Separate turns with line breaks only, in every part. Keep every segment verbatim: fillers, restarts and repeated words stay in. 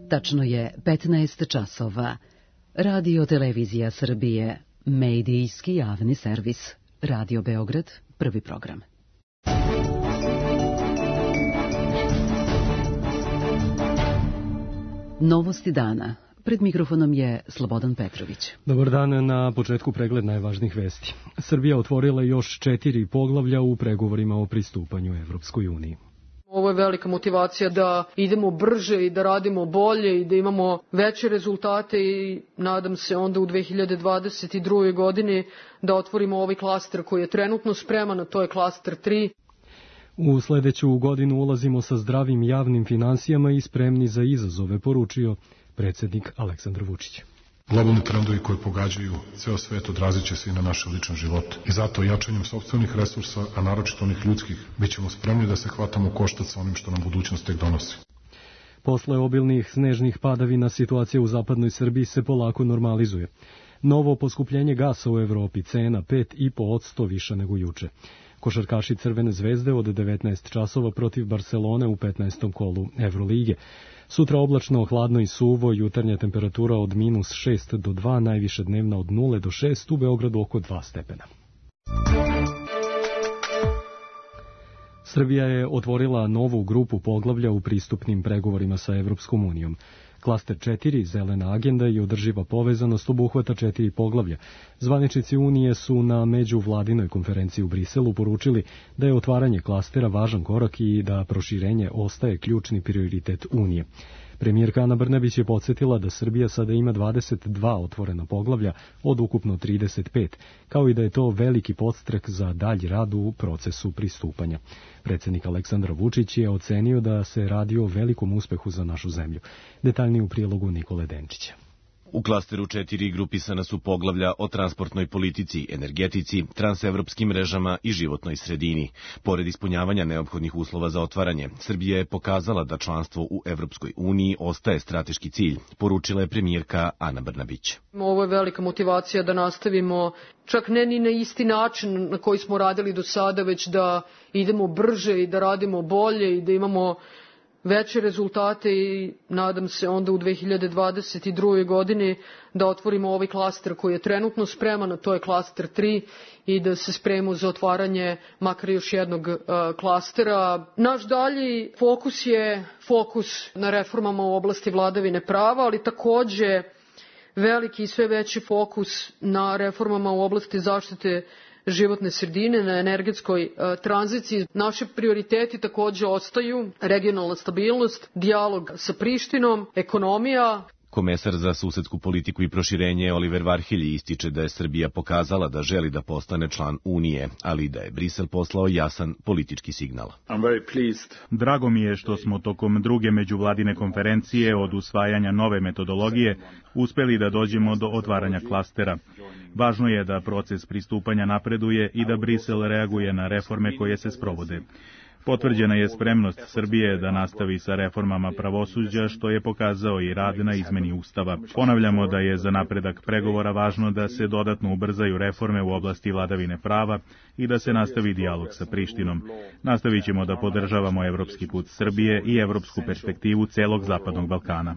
Tačno je petnaest časova. Radio Televizija Srbije, medijski javni servis. Radio Beograd, prvi program. Novosti dana. Pred mikrofonom je Slobodan Petrović.
Dobar dan, na početku pregled najvažnijih vesti. Srbija otvorila još četiri poglavlja u pregovorima o pristupanju Evropskoj uniji.
Ovo je velika motivacija da idemo brže i da radimo bolje i da imamo veće rezultate i nadam se onda u dve hiljade dvadeset drugoj. godini da otvorimo ovaj klaster koji je trenutno spreman, a to je klaster tri.
U sledeću godinu ulazimo sa zdravim javnim finansijama i spremni za izazove, poručio predsjednik Aleksandar Vučić.
Globalni trendovi koji pogađaju ceo svet odrazit će se i na naše lične živote. I zato jačanjem sopstvenih resursa, a naročito onih ljudskih, bit ćemo spremni da se hvatamo u koštac sa onim što nam budućnost tek donosi.
Posle obilnih snežnih padavina situacija u zapadnoj Srbiji se polako normalizuje. Novo poskupljenje gasa u Evropi, cena pet i po posto više nego juče. Košarkaši Crvene zvezde od devetnaest časova protiv Barcelone u petnaestom kolu Evrolige. Sutra oblačno, hladno i suvo, jutarnja temperatura od minus šest do dva, najviše dnevna od nula do šest, u Beogradu oko dva stepena. Srbija je otvorila novu grupu poglavlja u pristupnim pregovorima sa Evropskom unijom. Klaster četiri, zelena agenda i održiva povezanost, obuhvata četiri poglavlja. Zvaničnici Unije su na međuvladinoj konferenciji u Briselu poručili da je otvaranje klastera važan korak i da proširenje ostaje ključni prioritet Unije. Premijerka Ana Brnabić je podsjetila da Srbija sada ima dvadeset dva otvorena poglavlja od ukupno trideset pet, kao i da je to veliki podstrek za dalji rad u procesu pristupanja. Predsjednik Aleksandar Vučić je ocenio da se radi o velikom uspehu za našu zemlju. Detaljnije u prilogu Nikole Denčića.
U klasteru četiri grupisana su poglavlja o transportnoj politici, energetici, transevropskim mrežama i životnoj sredini. Pored ispunjavanja neophodnih uslova za otvaranje, Srbija je pokazala da članstvo u Evropskoj uniji ostaje strateški cilj, poručila je premijerka Ana Brnabić.
Ovo je velika motivacija da nastavimo čak ne ni na isti način na koji smo radili do sada, već da idemo brže i da radimo bolje i da imamo veće rezultate i nadam se onda u dve hiljade dvadeset drugoj. godini da otvorimo ovaj klaster koji je trenutno spreman, a to je klaster tri, i da se spremimo za otvaranje makar još jednog uh, klastera. Naš dalji fokus je fokus na reformama u oblasti vladavine prava, ali takođe veliki i sve veći fokus na reformama u oblasti zaštite životne sredine, na energetskoj uh, tranziciji. Naši prioriteti takođe ostaju regionalna stabilnost, dijalog sa Prištinom, ekonomija.
Komesar za susedsku politiku i proširenje Oliver Varhelji ističe da je Srbija pokazala da želi da postane član Unije, ali da je Brisel poslao jasan politički signal.
Drago mi je što smo tokom druge međuvladine konferencije od usvajanja nove metodologije uspeli da dođemo do otvaranja klastera. Važno je da proces pristupanja napreduje i da Brisel reaguje na reforme koje se sprovode. Potvrđena je spremnost Srbije da nastavi sa reformama pravosuđa, što je pokazao i rad na izmeni Ustava. Ponavljamo da je za napredak pregovora važno da se dodatno ubrzaju reforme u oblasti vladavine prava i da se nastavi dijalog sa Prištinom. Nastavit ćemo da podržavamo evropski put Srbije i evropsku perspektivu celog Zapadnog Balkana.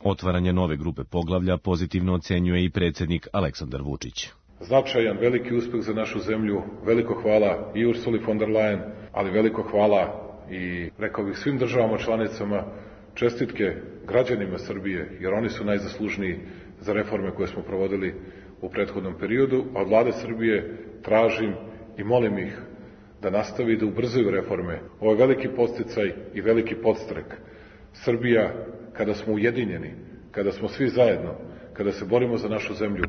Otvaranje nove grupe poglavlja pozitivno ocenjuje i predsjednik Aleksandar Vučić.
Značajan, veliki uspeh za našu zemlju, veliko hvala i Ursuli von der Leyen, ali veliko hvala i, rekao bih, svim državama članicama, čestitke građanima Srbije, jer oni su najzaslužniji za reforme koje smo provodili u prethodnom periodu, a od vlade Srbije tražim i molim ih da nastavi da ubrzaju reforme. Ovo je veliki podsticaj i veliki podstrek. Srbija, kada smo ujedinjeni, kada smo svi zajedno, kada se borimo za našu zemlju,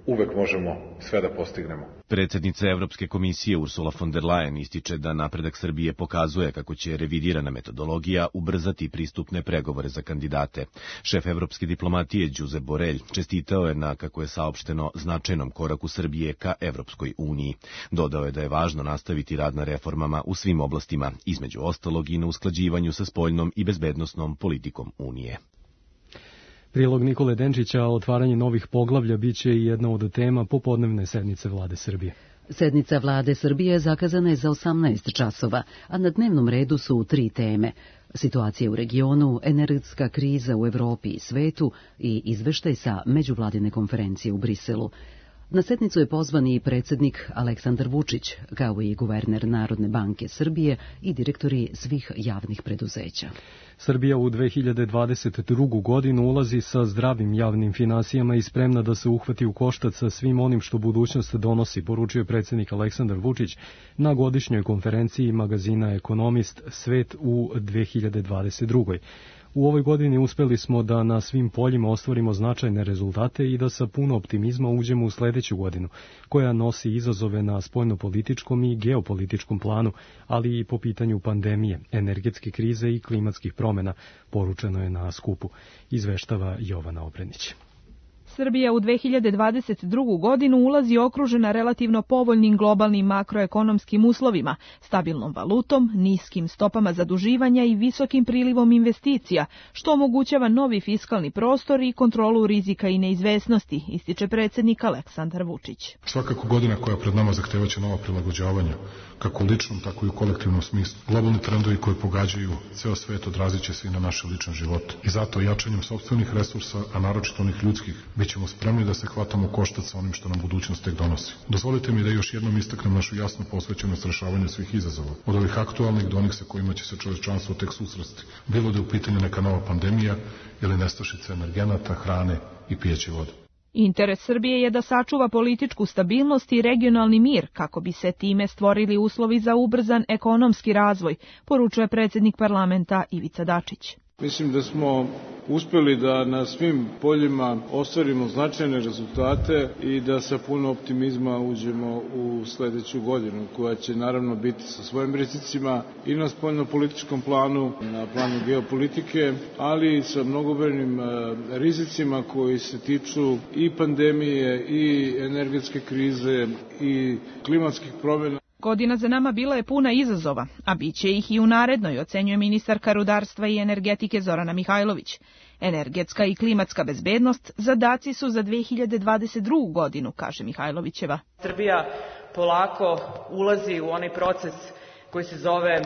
uvek možemo sve da postignemo.
Predsjednica Evropske komisije Ursula von der Leyen ističe da napredak Srbije pokazuje kako će revidirana metodologija ubrzati pristupne pregovore za kandidate. Šef evropske diplomatije Josep Borrell čestitao je na, kako je saopšteno, značajnom koraku Srbije ka Evropskoj uniji. Dodao je da je važno nastaviti rad na reformama u svim oblastima, između ostalog i na usklađivanju sa spoljnom i bezbednosnom politikom Unije.
Prilog Nikole Denčića, otvaranje novih poglavlja biće i jedna od tema popodnevne sednice Vlade Srbije.
Sednica vlade Srbije zakazana je za osamnaest časova, a na dnevnom redu su tri teme: situacija u regionu, energetska kriza u Evropi i svetu i izveštaj sa međuvladine konferencije u Briselu. Na sednicu je pozvan i predsjednik Aleksandar Vučić, kao i guverner Narodne banke Srbije i direktori svih javnih preduzeća.
Srbija u dve hiljade dvadeset drugu. godinu ulazi sa zdravim javnim finansijama i spremna da se uhvati u koštac sa svim onim što budućnost donosi, poručio je predsjednik Aleksandar Vučić na godišnjoj konferenciji magazina Ekonomist Svet u dve hiljade dvadeset drugoj. U ovoj godini uspeli smo da na svim poljima ostvarimo značajne rezultate i da sa puno optimizma uđemo u sledeću godinu, koja nosi izazove na spoljnopolitičkom i geopolitičkom planu, ali i po pitanju pandemije, energetske krize i klimatskih promjena, poručeno je na skupu, izveštava Jovana Obrenić.
Srbija u dve hiljade dvadeset drugu. godinu ulazi okružena relativno povoljnim globalnim makroekonomskim uslovima, stabilnom valutom, niskim stopama zaduživanja i visokim prilivom investicija, što omogućava novi fiskalni prostor i kontrolu rizika i neizvesnosti, ističe predsjednik Aleksandar Vučić.
Svakako godina koja pred nama zahtevaće nova prilagođavanja, kako u ličnom, tako i u kolektivnom smislu. Globalni trendovi koji pogađaju ceo svet odrazit će se i na naše lične živote. I zato jačanjem sopstvenih resursa, a naročito onih ljudskih, bit ćemo spremni da se hvatamo koštac sa onim što nam budućnost tek donosi. Dozvolite mi da još jednom istaknem našu jasnu posvećenost rešavanju svih izazova, od ovih aktualnih do onih sa kojima će se čovečanstvo tek susresti, bilo da je u pitanju neka nova pandemija ili nestašica energenata, hrane i pijeće vode.
Interes Srbije je da sačuva političku stabilnost i regionalni mir, kako bi se time stvorili uslovi za ubrzan ekonomski razvoj, poručuje predsjednik parlamenta Ivica Dačić.
Mislim da smo uspeli da na svim poljima ostvarimo značajne rezultate i da sa puno optimizma uđemo u sledeću godinu, koja će naravno biti sa svojim rizicima i na spoljnopolitičkom planu, na planu geopolitike, ali i sa mnogobrojnim rizicima koji se tiču i pandemije, i energetske krize, i klimatskih promjena.
Godina za nama bila je puna izazova, a bit će ih i u narednoj, ocenjuje ministarka rudarstva i energetike Zorana Mihajlović. Energetska i klimatska bezbednost zadaci su za dve hiljade dvadeset drugu. godinu, kaže Mihajlovićeva.
Srbija polako ulazi u onaj proces koji se zove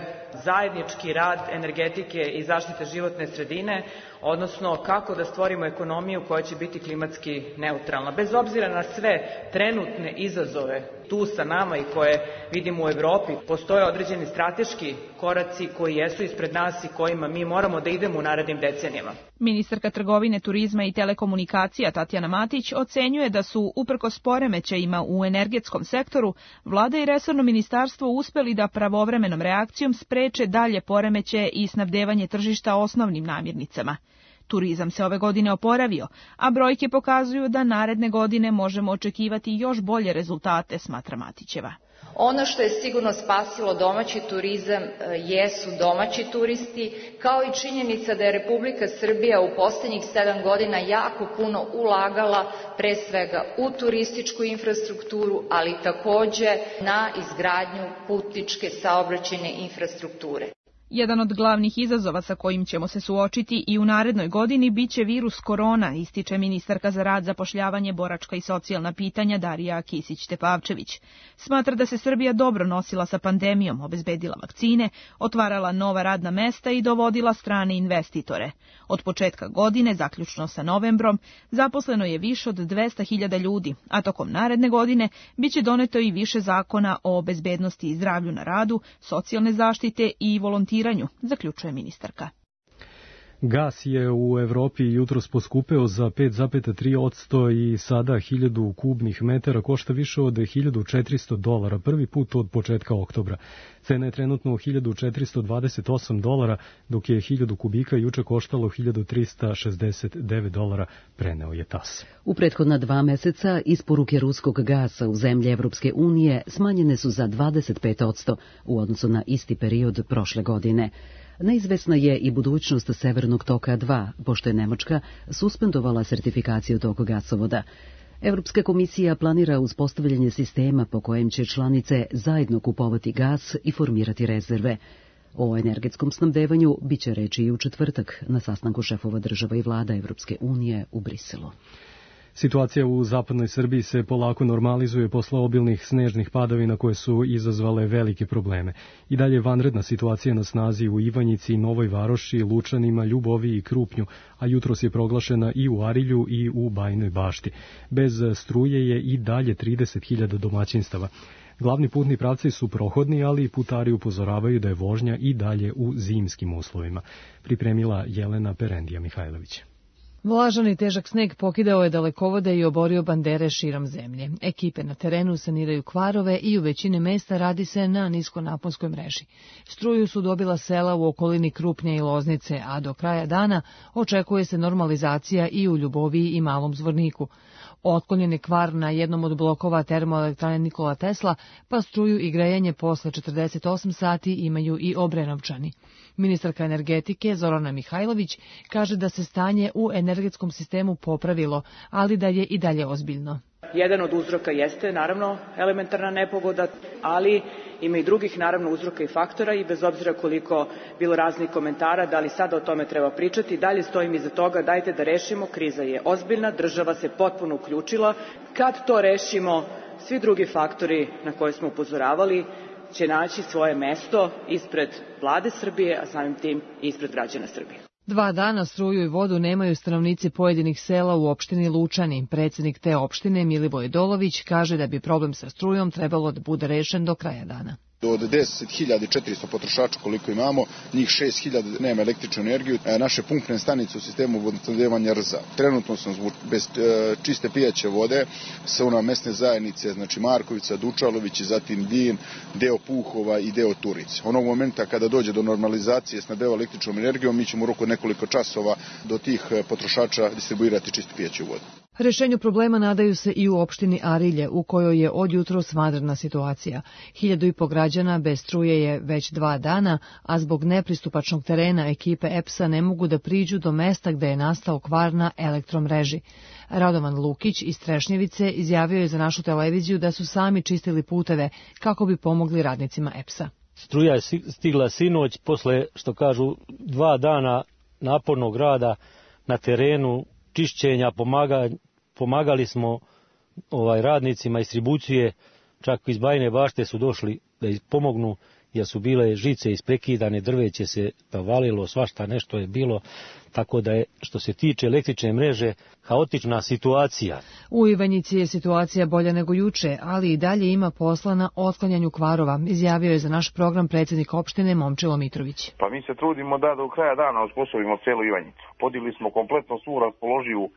zajednički rad energetike i zaštite životne sredine, odnosno kako da stvorimo ekonomiju koja će biti klimatski neutralna. Bez obzira na sve trenutne izazove tu sa nama i koje vidimo u Evropi, postoje određeni strateški koraci koji jesu ispred nas i kojima mi moramo da idemo u narednim decenijama.
Ministarka trgovine, turizma i telekomunikacija Tatjana Matić ocenjuje da su, uprkos poremećajima u energetskom sektoru, vlada i resorno ministarstvo uspeli da pravovremenom reakcijom spreče dalje poremećaje i snabdevanje tržišta osnovnim namirnicama. Turizam se ove godine oporavio, a brojke pokazuju da naredne godine možemo očekivati još bolje rezultate, smatra Matićeva.
Ono što je sigurno spasilo domaći turizam jesu domaći turisti, kao i činjenica da je Republika Srbija u poslednjih sedam godina jako puno ulagala pre svega u turističku infrastrukturu, ali takođe na izgradnju putničke saobraćajne infrastrukture.
Jedan od glavnih izazova sa kojim ćemo se suočiti i u narednoj godini biće virus korona, ističe ministarka za rad, zapošljavanje, boračka i socijalna pitanja Darija Kisić-Tepavčević. Smatra da se Srbija dobro nosila sa pandemijom, obezbedila vakcine, otvarala nova radna mesta i dovodila strane investitore. Od početka godine, zaključno sa novembrom, zaposleno je više od dvesta hiljada ljudi, a tokom naredne godine biće doneto i više zakona o bezbednosti i zdravlju na radu, socijalne zaštite i volontiranju, zaključuje ministarka.
Gas je u Evropi jutros poskupeo za pet zarez tri posto i sada hiljadu kubnih metara košta više od hiljadu četiristo dolara, prvi put od početka oktobra. Cena je trenutno hiljadu četiristo dvadeset osam dolara, dok je hiljadu kubika juče koštalo hiljadu trista šezdeset devet dolara, preneo je tas.
U prethodna dva meseca isporuke ruskog gasa u zemlje Evropske unije smanjene su za dvadeset pet posto u odnosu na isti period prošle godine. Neizvesna je i budućnost Severnog toka dva, pošto je Nemačka suspendovala sertifikaciju tog gasovoda. Evropska komisija planira uspostavljanje sistema po kojem će članice zajedno kupovati gas i formirati rezerve. O energetskom snabdevanju biće reči i u četvrtak na sastanku šefova država i vlada Evropske unije u Briselu.
Situacija u zapadnoj Srbiji se polako normalizuje posle obilnih snežnih padavina koje su izazvale velike probleme. I dalje je vanredna situacija na snazi u Ivanjici, Novoj Varoši, Lučanima, Ljuboviji i Krupnju, a jutros je proglašena i u Arilju i u Bajinoj Bašti. Bez struje je i dalje trideset hiljada domaćinstava. Glavni putni pravci su prohodni, ali i putari upozoravaju da je vožnja i dalje u zimskim uslovima. Pripremila Jelena Perendija Mihajlović.
Vlažan i težak sneg pokidao je dalekovode i oborio bandere širom zemlje. Ekipe na terenu saniraju kvarove i u većini mesta radi se na niskonaponskoj mreži. Struju su dobila sela u okolini Krupnja i Loznice, a do kraja dana očekuje se normalizacija i u Ljuboviji i Malom Zvorniku. Otklonjen je kvar na jednom od blokova termoelektrane Nikola Tesla, pa struju i grejanje posle četrdeset osam sati imaju i Obrenovčani. Ministarka energetike Zorana Mihajlović kaže da se stanje u energetskom sistemu popravilo, ali da je i dalje ozbiljno.
Jedan od uzroka jeste, naravno, elementarna nepogoda, ali ima i drugih, naravno, uzroka i faktora i bez obzira koliko bilo raznih komentara, da li sada o tome treba pričati, dalje stojim iza toga, dajte da rešimo, kriza je ozbiljna, država se potpuno uključila. Kad to rešimo, svi drugi faktori na koje smo upozoravali će naći svoje mesto ispred vlade Srbije, a samim tim i ispred građana Srbije.
Dva dana struju i vodu nemaju stanovnici pojedinih sela u opštini Lučani. Predsjednik te opštine Milivoj Dolović kaže da bi problem sa strujom trebalo da bude rešen do kraja dana.
Od deset hiljada četiristo potrošača koliko imamo, njih šest hiljada nema električnu energiju. Naše pumpne stanice u sistemu vodosnabdevanja R Z A. Trenutno sam bez čiste pijaće vode sa ona mesne zajednice, znači Markovica, Dučalović, zatim Din, deo Puhova i deo Turice. Onog momenta kada dođe do normalizacije snabdeva električnom energijom, mi ćemo u roku nekoliko časova do tih potrošača distribuirati čistu pijaću vodu.
Rešenju problema nadaju se i u opštini Arilje, u kojoj je od jutros vanredna situacija. Hiljadu i po građana bez struje je već dva dana, a zbog nepristupačnog terena ekipe E P S-a ne mogu da priđu do mesta gde je nastao kvar na elektromreži. Radovan Lukić iz Trešnjevice izjavio je za našu televiziju da su sami čistili puteve kako bi pomogli radnicima E P S-a.
Struja je stigla sinoć posle, što kažu, dva dana napornog rada na terenu, čišćenja, pomaga, pomagali smo ovaj radnicima distribucije, čak iz Bajine Bašte su došli da pomognu, jer su bile žice isprekidane, drveće se valilo, svašta nešto je bilo, tako da je, što se tiče električne mreže, haotična situacija.
U Ivanjici je situacija bolja nego juče, ali i dalje ima posla na otklanjanju kvarova, izjavio je za naš program predsjednik opštine Momčilo Mitrović.
Pa mi se trudimo da do kraja dana osposobimo celu Ivanjicu. Podigli smo kompletno svu raspoloživu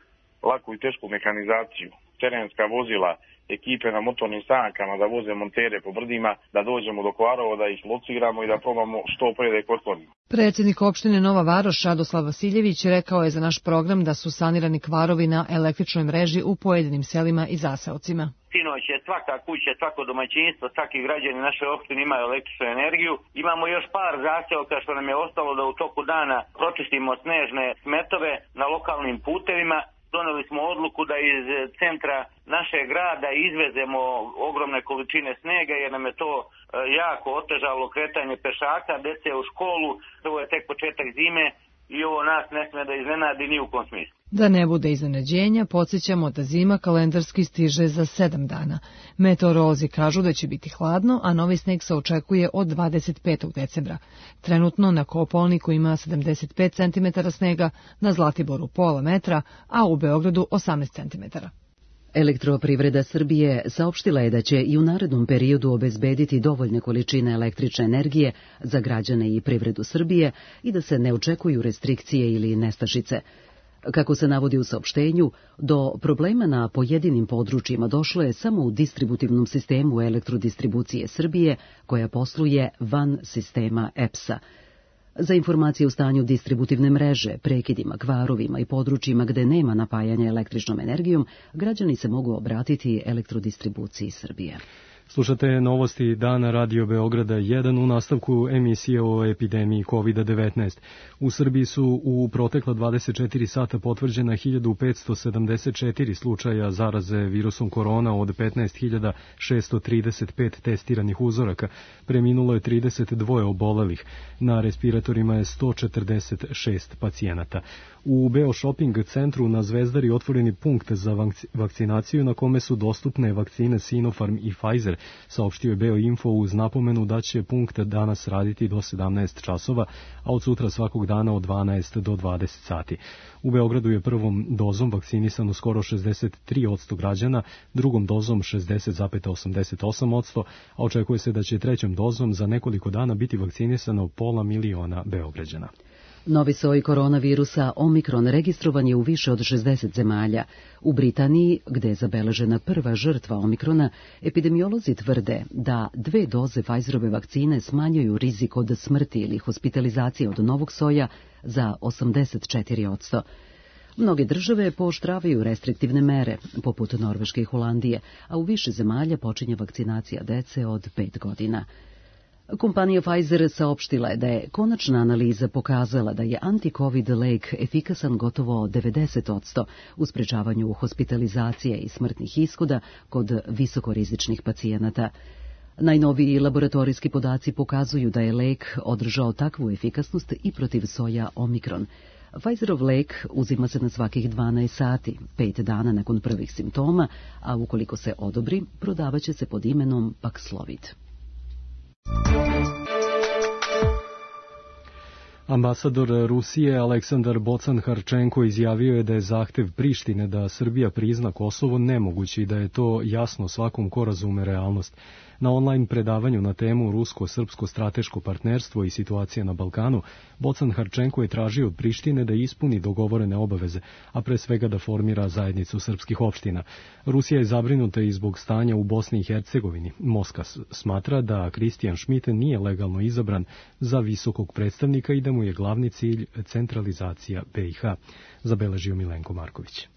laku i tešku mehanizaciju, terenska vozila, ekipe na motornim sankama da voze montere po brdima, da dođemo do kvarova, da ih lociramo i da probamo što pre da ih otklonimo.
Predsjednik opštine Nova Varoš Radoslav Vasiljević rekao je za naš program da su sanirani kvarovi na električnoj mreži u pojedinim selima i zaseocima.
Sinoć je svaka kuća, svako domaćinstvo, svaki građani naše opštine imaju električnu energiju. Imamo još par zaseoka što nam je ostalo da u toku dana pročistimo snežne smetove na lokalnim putevima. Doneli smo odluku da iz centra našeg grada izvezemo ogromne količine snega jer nam je to jako otežalo kretanje pešaka, dece u školu, ovo je tek početak zime i ovo nas ne sme da iznenadi ni u kom smislu.
Da ne bude iznenađenja, podsjećamo da zima kalendarski stiže za sedam dana. Meteorolozi kažu da će biti hladno, a novi sneg se očekuje od dvadeset petog decembra. Trenutno na Kopaoniku ima sedamdeset pet centimetara snega, na Zlatiboru pola metra, a u Beogradu osamnaest centimetara.
Elektroprivreda Srbije saopštila je da će i u narednom periodu obezbediti dovoljne količine električne energije za građane i privredu Srbije i da se ne očekuju restrikcije ili nestašice. Kako se navodi u saopštenju, do problema na pojedinim područjima došlo je samo u distributivnom sistemu elektrodistribucije Srbije, koja posluje van sistema E P S-a. Za informacije o stanju distributivne mreže, prekidima, kvarovima i područjima gde nema napajanja električnom energijom, građani se mogu obratiti elektrodistribuciji Srbije.
Slušate novosti dana Radio Beograda jedan u nastavku emisije o epidemiji kovid devetnaest. U Srbiji su u protekla dvadeset četiri sata potvrđena hiljadu petsto sedamdeset četiri slučaja zaraze virusom korona od petnaest hiljada šessto trideset pet testiranih uzoraka. Preminulo je trideset dva obolelih. Na respiratorima je sto četrdeset šest pacijenata. U Beo Shopping centru na Zvezdari otvoreni punkt za vakcinaciju na kome su dostupne vakcine Sinopharm i Pfizer, saopštio je Beo Info uz napomenu da će punkt danas raditi do sedamnaest časova, a od sutra svakog dana od dvanaest do dvadeset sati. U Beogradu je prvom dozom vakcinisano skoro šezdeset tri posto građana, drugom dozom šezdeset zarez osamdeset osam posto, a očekuje se da će trećom dozom za nekoliko dana biti vakcinisano pola miliona Beograđana.
Novi soj koronavirusa Omikron registrovan je u više od šezdeset zemalja. U Britaniji, gde je zabeležena prva žrtva Omikrona, epidemiolozi tvrde da dve doze Pfizerove vakcine smanjuju rizik od smrti ili hospitalizacije od novog soja za osamdeset četiri posto. Mnoge države pooštravaju restriktivne mere, poput Norveške i Holandije, a u više zemalja počinje vakcinacija dece od pet godina. Kompanija Pfizer saopštila je da je konačna analiza pokazala da je anti-covid lek efikasan gotovo devedeset posto u sprečavanju hospitalizacije i smrtnih ishoda kod visokorizičnih pacijenata. Najnoviji laboratorijski podaci pokazuju da je lek održao takvu efikasnost i protiv soja Omikron. Pfizerov lek uzima se na svakih dvanaest sati, pet dana nakon prvih simptoma, a ukoliko se odobri, prodavaće se pod imenom Paxlovid.
Ambasador Rusije Aleksandar Bocan-Harčenko izjavio je da je zahtev Prištine da Srbija prizna Kosovo nemogući i da je to jasno svakom ko razume realnost. Na online predavanju na temu Rusko-srpsko strateško partnerstvo i situacija na Balkanu, Bocan-Harčenko je tražio od Prištine da ispuni dogovorene obaveze, a pre svega da formira zajednicu srpskih opština. Rusija je zabrinuta i zbog stanja u Bosni i Hercegovini. Moskva smatra da Kristijan Šmit nije legalno izabran za visokog predstavnika i da mu je glavni cilj centralizacija be i ha, zabeležio Milenko Marković.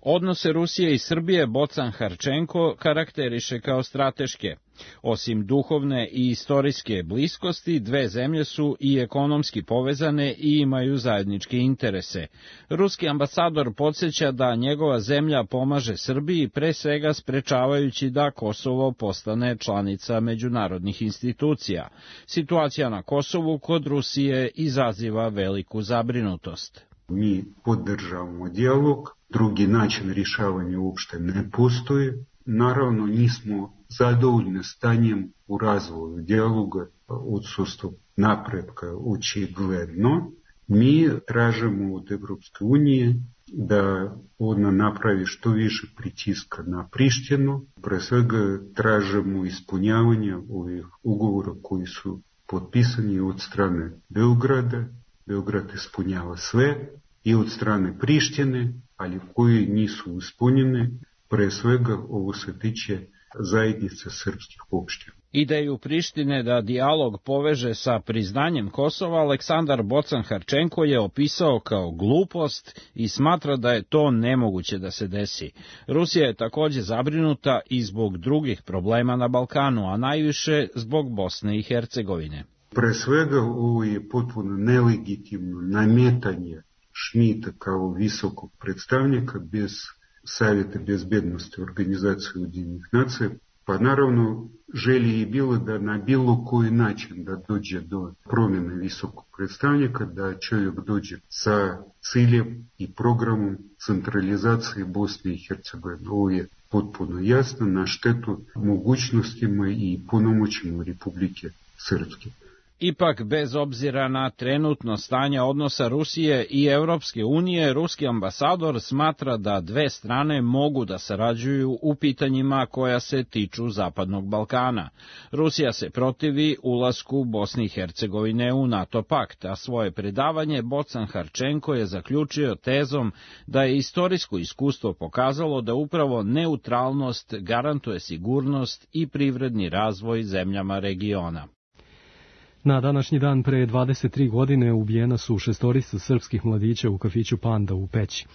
Odnose Rusije i Srbije Bocan-Harčenko karakteriše kao strateške. Osim duhovne i istorijske bliskosti, dve zemlje su i ekonomski povezane i imaju zajedničke interese. Ruski ambasador podsjeća da njegova zemlja pomaže Srbiji, pre svega sprečavajući da Kosovo postane članica međunarodnih institucija. Situacija na Kosovu kod Rusije izaziva veliku zabrinutost.
Mi podržavamo dijalog, drugi način rješavanja uopšte ne postoji. Naravno, nismo zadovoljni stanjem u razvoju dijaloga, odsustvo napretka očigledno. Mi tražimo od Evropske unije da ona napravi što više pritiska na Prištinu. Pre svega tražimo ispunjavanje ovih ugovora koji su potpisani od strane Beograda. Beograd ispunjava sve i od strane Prištine, ali koji nisu ispunjene, pre svega ovo se tiče zajednice srpskih opština.
Ideju Prištine da dijalog poveže sa priznanjem Kosova Aleksandar Bocan-Harčenko je opisao kao glupost i smatra da je to nemoguće da se desi. Rusija je takođe zabrinuta i zbog drugih problema na Balkanu, a najviše zbog Bosne i Hercegovine.
Pre svega ovo je potpuno nelegitimno nametanje Šmita kao visokog predstavnika bez Savjeta bezbednosti Organizacije Ujedinjenih nacija, pa naravno želje je bilo da na bilo koji način da dođe do promjene visokog predstavnika, da čovjek dođe sa ciljem i programom centralizacije Bosne i Hercegovine. Ovo je potpuno jasno na štetu mogućnostima i punomoćima Republike Srpske.
Ipak, bez obzira na trenutno stanje odnosa Rusije i Evropske unije, ruski ambasador smatra da dve strane mogu da sarađuju u pitanjima koja se tiču Zapadnog Balkana. Rusija se protivi ulasku Bosne i Hercegovine u NATO pakt, a svoje predavanje Bocan-Harčenko je zaključio tezom da je istorijsko iskustvo pokazalo da upravo neutralnost garantuje sigurnost i privredni razvoj zemljama regiona.
Na današnji dan pre dvadeset tri godine ubijena su šestorica srpskih mladića u kafiću Panda u Peći.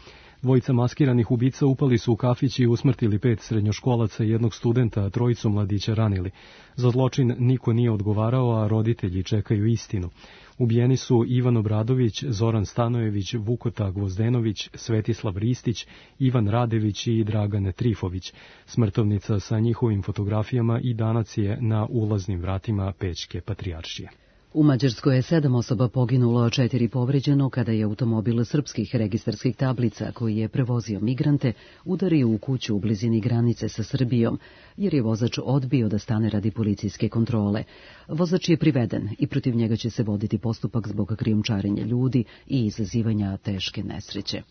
Dvojica maskiranih ubica upali su u kafić i usmrtili pet srednjoškolaca i jednog studenta, a trojicu mladića ranili. Za zločin niko nije odgovarao, a roditelji čekaju istinu. Ubijeni su Ivan Obradović, Zoran Stanojević, Vukota Gvozdenović, Svetislav Ristić, Ivan Radević i Dragan Trifović. Smrtovnica sa njihovim fotografijama i danas je na ulaznim vratima Pećke patrijaršije.
U Mađarskoj je sedam osoba poginulo, a četiri povređeno kada je automobil srpskih registarskih tablica koji je prevozio migrante udario u kuću u blizini granice sa Srbijom, jer je vozač odbio da stane radi policijske kontrole. Vozač je priveden i protiv njega će se voditi postupak zbog krijumčarenja ljudi i izazivanja teške nesreće.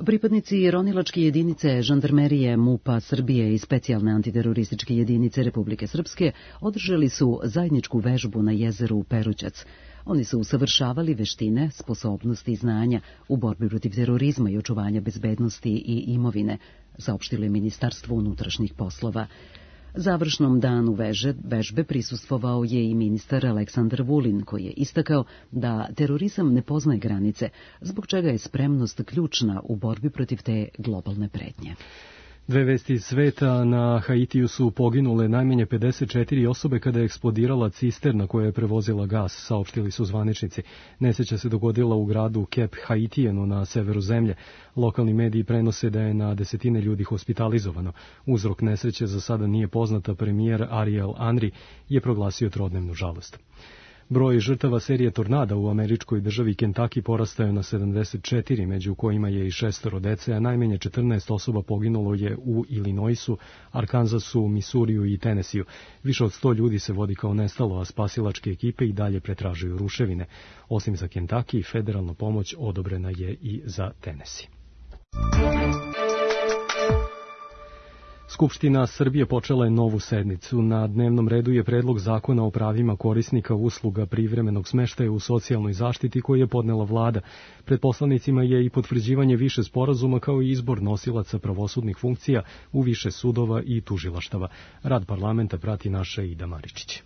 Pripadnici ronilačke jedinice žandarmerije MUP-a Srbije i specijalne antiterorističke jedinice Republike Srpske održali su zajedničku vežbu na jezeru Perućac. Oni su usavršavali veštine, sposobnosti i znanja u borbi protiv terorizma i očuvanja bezbednosti i imovine, saopštilo je Ministarstvo unutrašnjih poslova. Završnom danu veže, vežbe prisustvovao je i ministar Aleksandar Vulin, koji je istakao da terorizam ne poznaje granice, zbog čega je spremnost ključna u borbi protiv te globalne pretnje.
Dve vesti iz sveta. Na Haitiju su poginule najmanje pedeset četiri osobe kada je eksplodirala cisterna koja je prevozila gas, saopštili su zvaničnici. Nesreća se dogodila u gradu Cap Haitijenu na severu zemlje. Lokalni mediji prenose da je na desetine ljudi hospitalizovano. Uzrok nesreće za sada nije poznata. Premijer Ariel Henry je proglasio trodnevnu žalost. Broj žrtava serije tornada u američkoj državi Kentucky porastao je na sedamdeset četiri, među kojima je i šestoro dece, a najmanje četrnaest osoba poginulo je u Illinoisu, Arkansasu, Misuriju i Tennesseeu. Više od sto ljudi se vodi kao nestalo, a spasilačke ekipe i dalje pretražuju ruševine. Osim za Kentucky, federalna pomoć odobrena je i za Tennessee. Skupština Srbije počela je novu sednicu. Na dnevnom redu je predlog zakona o pravima korisnika usluga privremenog smeštaja u socijalnoj zaštiti koji je podnela vlada. Pred poslanicima je i potvrđivanje više sporazuma kao i izbor nosilaca pravosudnih funkcija u više sudova i tužilaštava. Rad parlamenta prati naša Ida Maričić.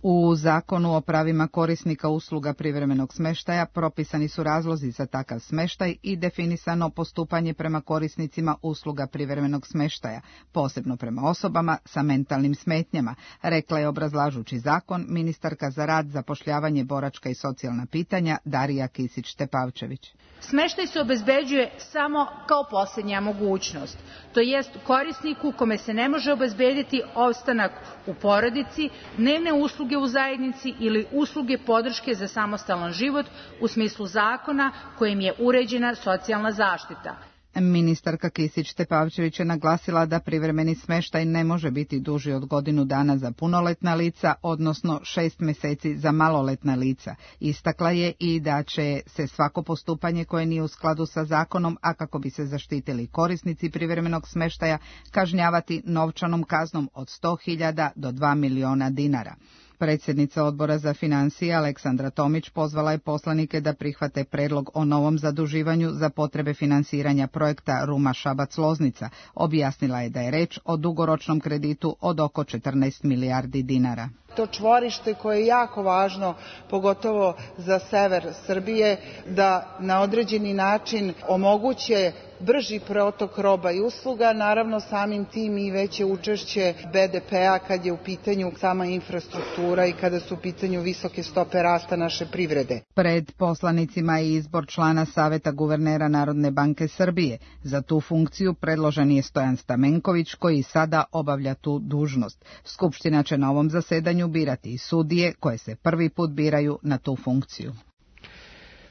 U Zakonu o pravima korisnika usluga privremenog smeštaja propisani su razlozi za takav smeštaj i definisano postupanje prema korisnicima usluga privremenog smeštaja, posebno prema osobama sa mentalnim smetnjama, rekla je obrazlažući zakon ministarka za rad, zapošljavanje, boračka i socijalna pitanja Darija Kisić-Tepavčević.
Smeštaj se obezbeđuje samo kao posljednja mogućnost, to jest korisniku kome se ne može obezbediti ostanak u porodici, dnevne usluge u zajednici ili usluge podrške za samostalan život u smislu zakona kojim je uređena socijalna zaštita.
Ministarka Kisić-Tepavčević je naglasila da privremeni smeštaj ne može biti duži od godinu dana za punoletna lica, odnosno šest meseci za maloletna lica. Istakla je i da će se svako postupanje koje nije u skladu sa zakonom, a kako bi se zaštitili korisnici privremenog smeštaja, kažnjavati novčanom kaznom od sto hiljada do dva miliona dinara. Predsjednica odbora za financije Aleksandra Tomić pozvala je poslanike da prihvate predlog o novom zaduživanju za potrebe finansiranja projekta Ruma-Šabac-Loznica. Objasnila je da je reč o dugoročnom kreditu od oko četrnaest milijardi dinara.
To čvorište koje je jako važno, pogotovo za sever Srbije, da na određeni način omoguće brži protok roba i usluga, naravno samim tim i veće učešće be de pe-a kad je u pitanju sama infrastruktura i kada su u pitanju visoke stope rasta naše privrede.
Pred poslanicima je izbor člana Saveta guvernera Narodne banke Srbije. Za tu funkciju predložen je Stojan Stamenković, koji sada obavlja tu dužnost. Skupština će na ovom zasedanju birati i sudije koje se prvi put biraju na tu funkciju.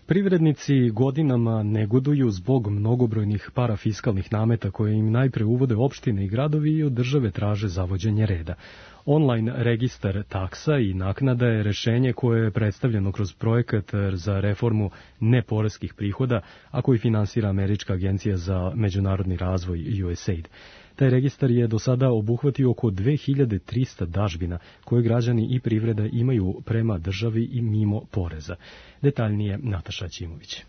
Privrednici godinama negoduju zbog mnogobrojnih parafiskalnih nameta koje im najpre uvode opštine i gradovi i od države traže zavođenje reda. Online registar taksa i naknada je rešenje koje je predstavljeno kroz projekat za reformu neporeskih prihoda, a koji finansira Američka agencija za međunarodni razvoj U S A I D. Taj registar je do sada obuhvatio oko dve hiljade trista dažbina koje građani i privreda imaju prema državi i mimo poreza. Detaljnije Nataša Ćimović.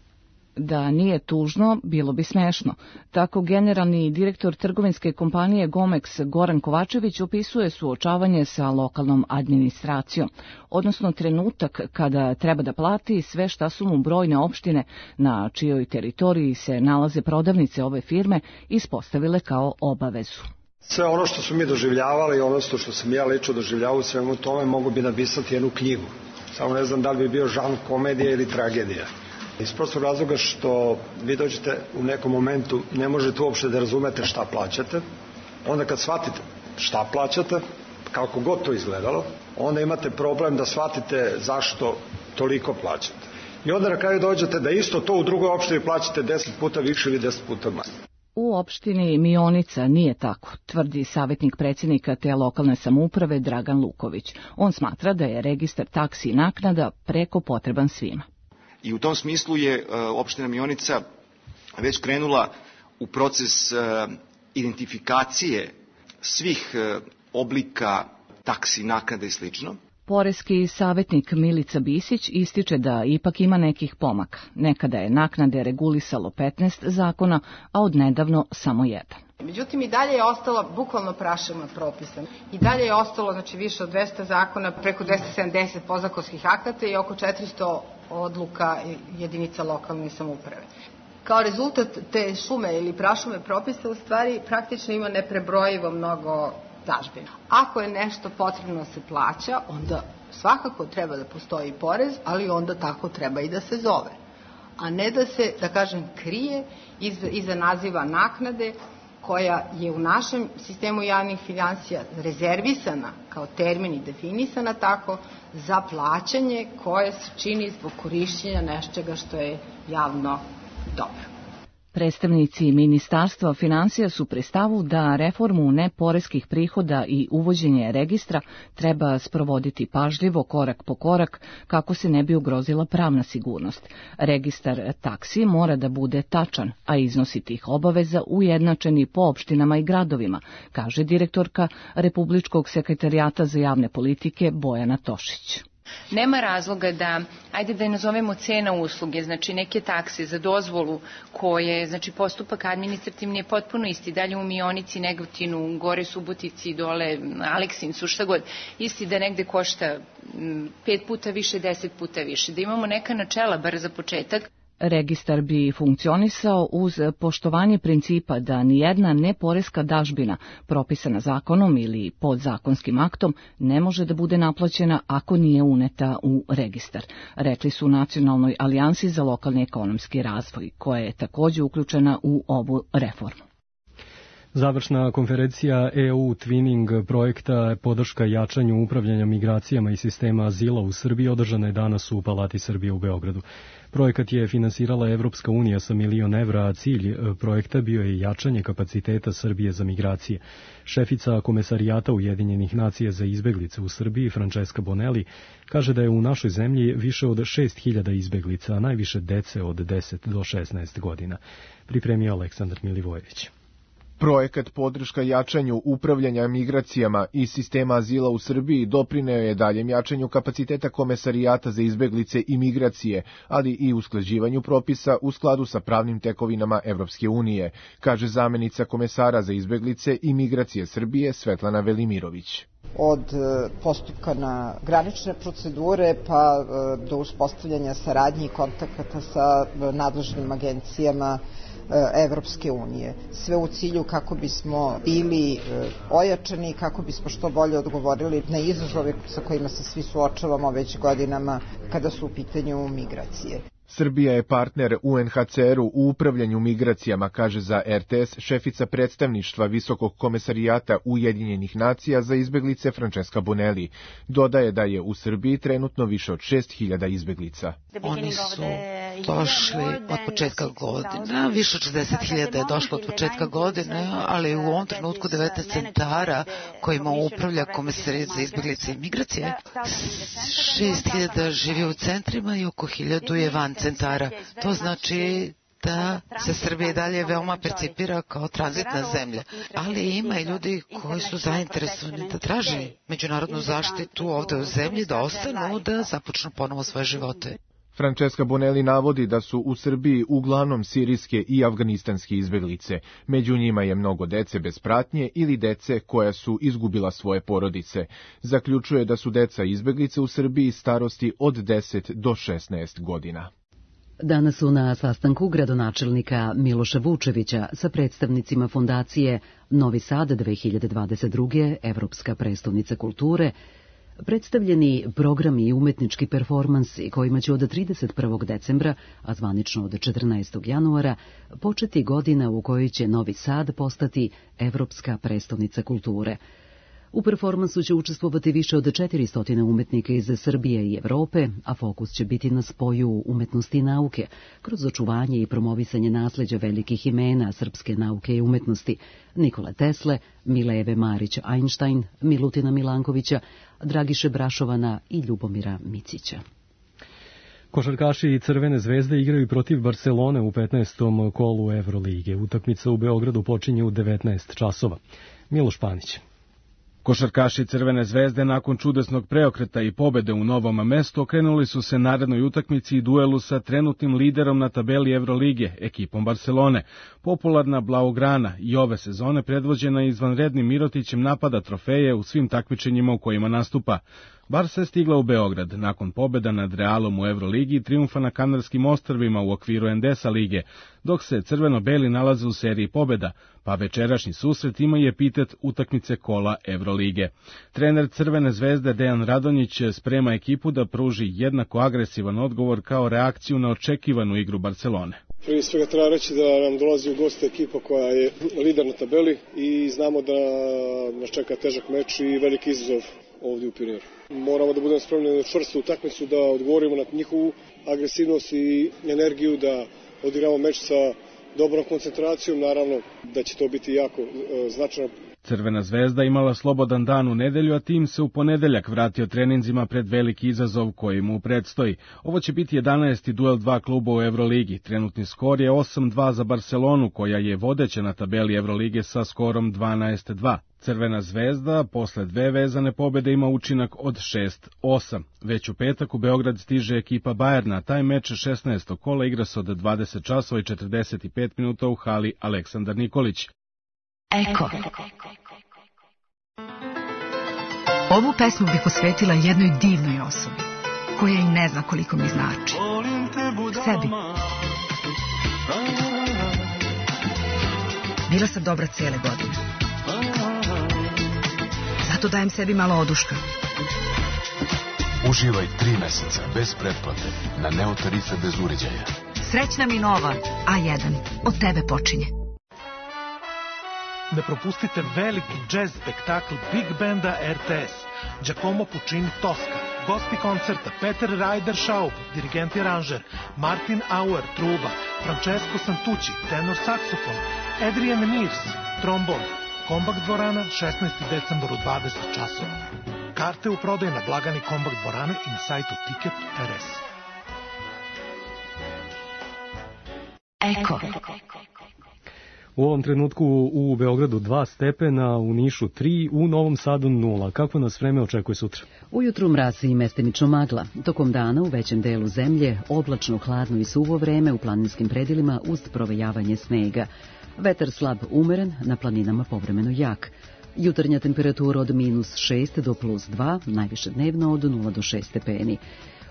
Da nije tužno, bilo bi smešno. Tako generalni direktor trgovinske kompanije Gomex Goran Kovačević opisuje suočavanje sa lokalnom administracijom, odnosno trenutak kada treba da plati sve šta su mu brojne opštine na čijoj teritoriji se nalaze prodavnice ove firme ispostavile kao obavezu.
Sve ono što su mi doživljavali, odnosno što sam ja lično doživljavao u svemu tome, mogu bi napisati jednu knjigu. Samo ne znam da li bi bio žanr komedija ili tragedija. Iz prostog razloga što vi dođete u nekom momentu, ne možete uopšte da razumete šta plaćate. Onda kad shvatite šta plaćate, kako god to izgledalo, onda imate problem da shvatite zašto toliko plaćate. I onda na kraju dođete da isto to u drugoj opštini plaćate deset puta više ili deset puta manje.
U opštini Mionica nije tako, tvrdi savjetnik predsjednika te lokalne samouprave Dragan Luković. On smatra da je registar taksi i naknada preko potreban svima.
I u tom smislu je opština Mionica već krenula u proces identifikacije svih oblika taksi, naknada i slično.
Poreski savjetnik Milica Bisić ističe da ipak ima nekih pomaka. Nekada je naknade regulisalo petnaest zakona, a odnedavno samo jedan.
Međutim, i dalje je ostalo bukvalno prašina propisa. I dalje je ostalo znači, više od dvesta zakona, preko dvesta sedamdeset podzakonskih akata i oko četiristo odluka jedinica lokalne samouprave. Kao rezultat te šume ili prašume propisa u stvari praktično ima neprebrojivo mnogo dažbina. Ako je nešto potrebno da se plaća, onda svakako treba da postoji porez, ali onda tako treba i da se zove. A ne da se, da kažem, krije iza, iza naziva naknade koja je u našem sistemu javnih finansija rezervisana kao termin i definisana tako za plaćanje koje se čini zbog korišćenja nečega što je javno dobro.
Predstavnici Ministarstva finansija su pri stavu da reformu neporeskih prihoda i uvođenje registra treba sprovoditi pažljivo, korak po korak, kako se ne bi ugrozila pravna sigurnost. Registar taksi mora da bude tačan, a iznosi tih obaveza ujednačeni po opštinama i gradovima, kaže direktorka Republičkog sekretarijata za javne politike Bojana Tošić.
Nema razloga da, ajde da je nazovemo cena usluge, znači neke takse za dozvolu koje, znači postupak administrativni je potpuno isti, dalje u Mionici, Negotinu, gore Subotici, dole Aleksincu, šta god, isti da negde košta pet puta više, deset puta više, da imamo neka načela bar za početak.
Registar bi funkcionisao uz poštovanje principa da nijedna neporeska dažbina propisana zakonom ili podzakonskim aktom ne može da bude naplaćena ako nije uneta u registar, rekli su u Nacionalnoj alijansi za lokalni ekonomski razvoj, koja je također uključena u ovu reformu.
Završna konferencija E U Twinning projekta podrška jačanju upravljanja migracijama i sistema azila u Srbiji održana je danas u Palati Srbije u Beogradu. Projekat je finansirala Evropska unija sa milion evra, a cilj projekta bio je jačanje kapaciteta Srbije za migracije. Šefica Komesarijata Ujedinjenih nacija za izbeglice u Srbiji, Francesca Bonelli, kaže da je u našoj zemlji više od šest hiljada izbeglica, a najviše dece od deset do šesnaest godina. Pripremio Aleksandar Milivojević.
Projekat podrška jačanju upravljanja migracijama i sistema azila u Srbiji doprineo je daljem jačanju kapaciteta Komesarijata za izbeglice i migracije, ali i usklađivanju propisa u skladu sa pravnim tekovinama Evropske unije, kaže zamenica komesara za izbeglice i migracije Srbije Svetlana Velimirović.
Od postupka na granične procedure pa do uspostavljanja saradnje i kontakata sa nadležnim agencijama Evropske unije. Sve u cilju kako bismo bili ojačani, kako bismo što bolje odgovorili na izazove sa kojima se svi suočavamo već godinama kada su u pitanju migracije.
Srbija je partner U N H C R-u u upravljanju migracijama, kaže za R T S šefica predstavništva Visokog komesarijata Ujedinjenih nacija za izbeglice Francesca Bonelli. Dodaje da je u Srbiji trenutno više od šest hiljada izbeglica.
Oni su došli od početka godine, više od šezdeset hiljada je došlo od početka godine, ali u ovom trenutku devetnaest centara kojima upravlja Komesarijat za izbeglice i migracije, šest hiljada živi u centrima i oko hiljadu je van centara. To znači da se Srbija dalje veoma percipira kao tranzitna zemlja, ali ima i ljudi koji su zainteresovani da traže međunarodnu zaštitu ovde u zemlji, da ostanu, da započnu ponovo svoje živote.
Francesca Bonelli navodi da su u Srbiji uglavnom sirijske i afganistanske izbeglice. Među njima je mnogo dece bez pratnje ili dece koja su izgubila svoje porodice. Zaključuje da su deca izbeglice u Srbiji starosti od deset do šesnaest godina.
Danas su na sastanku gradonačelnika Miloša Vučevića sa predstavnicima fondacije Novi Sad dve hiljade dvadeset druge. Evropska prestonica kulture predstavljeni programi i umetnički performansi kojima će od trideset prvog decembra, a zvanično od četrnaestog januara, početi godina u kojoj će Novi Sad postati Evropska prestonica kulture. U performansu će učestvovati više od četiristo umetnika iz Srbije i Evrope, a fokus će biti na spoju umetnosti i nauke, kroz očuvanje i promovisanje nasleđa velikih imena srpske nauke i umetnosti, Nikole Tesle, Mileve Marić-Einstein, Milutina Milankovića, Dragiše Brašovana i Ljubomira Micića.
Košarkaši Crvene zvezde igraju protiv Barcelone u petnaestom kolu Evrolige. Utakmica u Beogradu počinje u devetnaest časova. Miloš Panić.
Košarkaši Crvene zvezde nakon čudesnog preokreta i pobede u Novom Mestu okrenuli su se narednoj utakmici i duelu sa trenutnim liderom na tabeli Evrolige, ekipom Barcelone. Popularna Blaugrana i ove sezone predvođena izvanrednim Mirotićem napada trofeje u svim takmičenjima u kojima nastupa. Barsa je stigla u Beograd nakon pobeda nad Realom u Evroligi i trijumfa na Kanarskim ostrvima u okviru Endesa lige, dok se crveno-beli nalaze u seriji pobeda, pa večerašnji susret ima i epitet utakmice kola Evrolige. Trener Crvene zvezde Dejan Radonjić sprema ekipu da pruži jednako agresivan odgovor kao reakciju na očekivanu igru Barcelone.
Prije svega treba reći da nam dolazi u goste ekipa koja je lider na tabeli i znamo da nas čeka težak meč i veliki izazov ovdje u Pirineju. Moramo da budemo spremni na čvrstu utakmicu, da odgovorimo na njihovu agresivnost i energiju, da odigramo meč sa dobrom koncentracijom, naravno da će to biti jako e, značajno.
Crvena zvezda imala slobodan dan u nedelju, a tim se u ponedeljak vratio treninzima pred veliki izazov koji mu predstoji. Ovo će biti jedanaesti duel dva kluba u Evroligi. Trenutni skor je osam dva za Barcelonu, koja je vodeća na tabeli Evrolige sa skorom dvanaest dva. Crvena zvezda posle dve vezane pobede ima učinak od šest osam. Već u petak u Beograd stiže ekipa Bajerna, taj meč šesnaestog kola igra se od dvadeset časova i četrdeset pet minuta u hali Aleksandar Nikolić.
Eko. Ovu pesmu bih posvetila jednoj divnoj osobi, koja i ne zna koliko mi znači. Sebi. Bila sam dobra cijele godine. Zato dajem sebi malo oduška.
Uživaj tri meseca bez pretplate na Neo tarife bez uređaja.
Srećna mi nova A jedan. Od tebe počinje.
Ne propustite veliki jazz spektakl Big Banda R T S, Giacomo Puccini Tosca, gosti koncerta Peter Ryder Schaub, dirigent i aranžer, Martin Auer, truba, Francesco Santucci, tenor saksofon, Adrian Mears, trombon, Kombak dvorana, šesnaesti decembar u dvadeset časova. Karte u prodaju na blagani Kombak dvorane i na sajtu Ticket R S.
Eko.
U ovom trenutku u Beogradu dva stepena, u Nišu tri, u Novom Sadu nula. Kako nas vreme očekuje sutra?
Ujutru mrazi i mestimično magla. Tokom dana u većem delu zemlje oblačno, hladno i suvo vreme u planinskim predjelima uz provejavanje snega. Vetar slab umeren, na planinama povremeno jak. Jutarnja temperatura od minus šest do plus dva, najviše dnevno od nula do šest stepeni.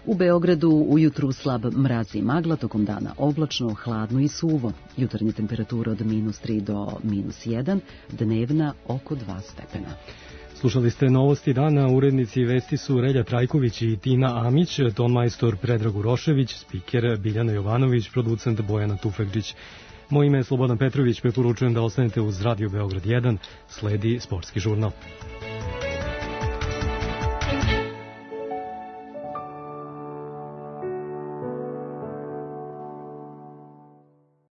U Beogradu ujutru slab mraz i magla, tokom dana oblačno, hladno i suvo. Jutarnja temperatura od minus tri do minus jedan, dnevna oko dva stepena.
Slušali ste novosti dana, urednici vesti su Relja Trajković i Tina Amić, tonmajstor Predrag Urošević, spiker Biljana Jovanović, producent Bojana Tufekđić. Moje ime je Slobodan Petrović, preporučujem da ostanete uz Radio Beograd jedan, sledi sportski žurnal.